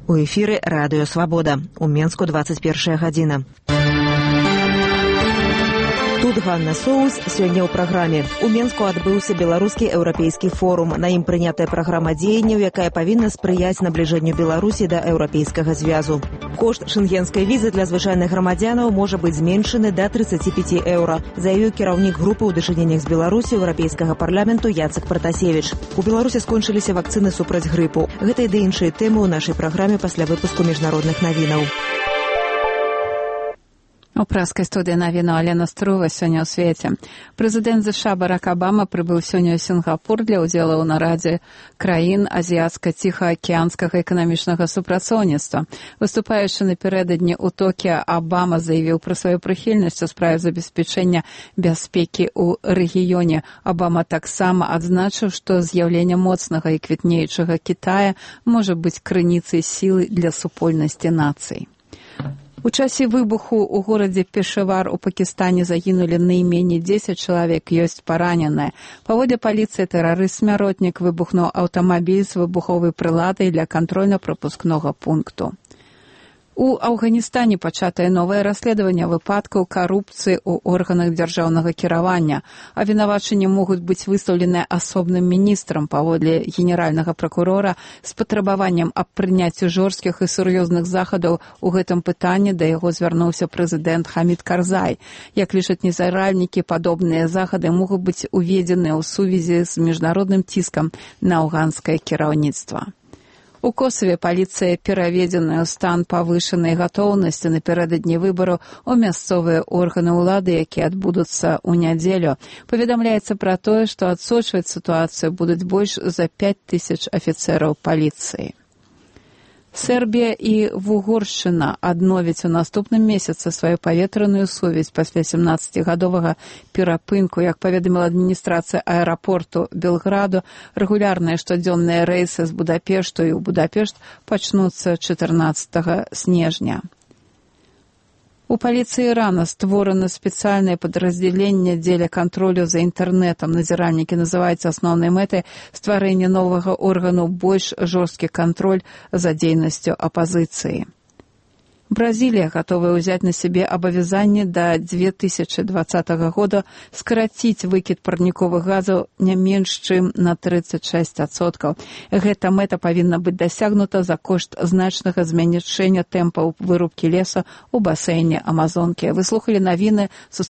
У эфіры радыё «Свабода». У Менску 21 гадзіна. Тут Ганна Соус. Сёння ў праграме. У Менску адбыўся беларускі еўрапейскі форум. На ім прынятая праграма дзеянняў, якая павінна спрыяць набліжэнню Беларусі да еўрапейскага звязу. Кошт шэнгенскай візы для звычайных грамадзянаў можа быць зменшаны да 35 еўра, заявіў кіраўнік групы ў дачыненнях з Беларусі еўрапейскага парламенту Яцек Пратасевіч. У Беларусі скончыліся вакцыны супраць грыпу. Гэта і ды іншыя тэмы ў нашай праграме пасля выпуску міжнародных навінаў. У праскай студыі навіну Алена Струва сёння ў свеце. Прэзідэнт ЗША Барак Абама прыбыў сёння ў Сінгапур для ўдзелу ў нарадзе краін азіяцка-ціхаакіянскага эканамічнага супрацоўніцтва. Выступаючы напярэдадні ў Токіа, Абама заявіў пра сваю прыхільнасць у справе забеспячэння бяспекі ў рэгіёне. Абама таксама адзначыў, што з'яўленне моцнага і квітнеючага Кітая можа быць крыніцай сілы для супольнасці нацый. У часе выбуху ў горадзе Пешавар у Пакістане загінулі найменей 10 чалавек, ёсць параненыя. Паводле паліцыі, тэрарыст-смяротнік выбухнуў аўтамабіль з выбуховай прыладай для кантрольна-прапускнога пункту. У Афганістане пачатае новае расследаванне выпадкаў карупцыі ў органах дзяржаўнага кіравання. Абвінавачанні могуць быць выстаўленыя асобным міністрам паводле генеральнага пракурора з патрабаваннем аб прыняцці жорсткіх і сур'ёзных захадаў у гэтым пытанні. Да яго звярнуўся прэзідэнт Хамід Карзай. Як лічаць незаральнікі, падобныя захады могуць быць уведзеныя ў сувязі з міжнародным ціскам на афганскае кіраўніцтва. У Косаве паліцыя пераведзеная ў стан павышанай гатоўнасці напярэдадні выбараў у мясцовыя органы ўлады, якія адбудуцца ў нядзелю. Паведамляецца пра тое, што адсочваць сітуацыю будуць больш за 5000 афіцэраў паліцыі. Сербія і Вугоршчына адновяць у наступным месяцы сваю паветраную сувязь пасля 17-гадовага перапынку. Як паведаміла адміністрацыя аэрапорту Белграду, рэгулярныя штодзённыя рэйсы з Будапешту і ў Будапешт пачнуцца 14 снежня. У паліцыі Ірана створана спецыяльнае падраздзяленне дзеля кантролю за інтэрнэтам. Назіральнікі называюць асноўнай мэтай стварэння новага органу больш жорсткі кантроль за дзейнасцю апазіцыі. Бразілія гатовая ўзяць на сябе абавязанне да 2020 года скараціць выкід парніковых газаў не менш чым на 36%. Гэта мэта павінна быць дасягнута за кошт значнага змяншэння тэмпаў вырубкі лесу ў басейне Амазонкі. Вы слухалі навіны.